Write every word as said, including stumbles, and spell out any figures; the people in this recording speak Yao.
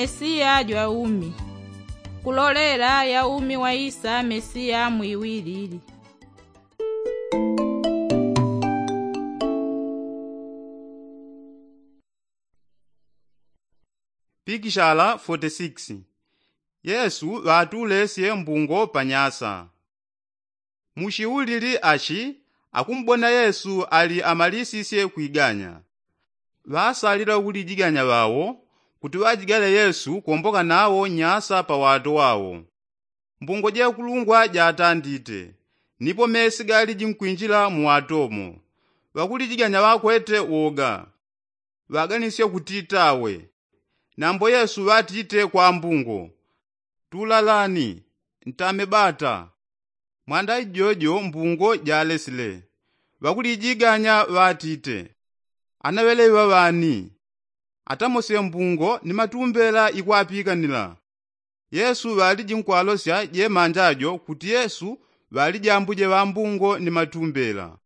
Mesiya jwa umi. Kulolela ya umi waisa mesiya mwiwilili. Pikishala forty six. Yesu ŵatulesye mbungo pa nyasa. Mushiulili ashi akumbona yesu ali amalisisye kwiganya. Ŵasalila ŵakulijiganya ŵawo kuti ŵajigale yesu kwomboka nawo nyasa pa wato wawo. Mbungo jekulungwa jatandite nipo mesi galiji nkwinjila mu watomo. Ŵakulijiganya ŵakwete woga. Ŵaganisye kutitawe. Nambo yesu ŵatite kwa mbungo, tulalani, ntame bata. Mwanda ijojo mbungo jalesile. Ŵakulijiganya ŵatite, anaŵeleŵa ŵani? Atamosye mbungo ni matumbela ikwapikanila. Yesu ŵaliji nkwalosya jemanja jo kuti yesu ŵalijambuje ŵambungo ni matumbela.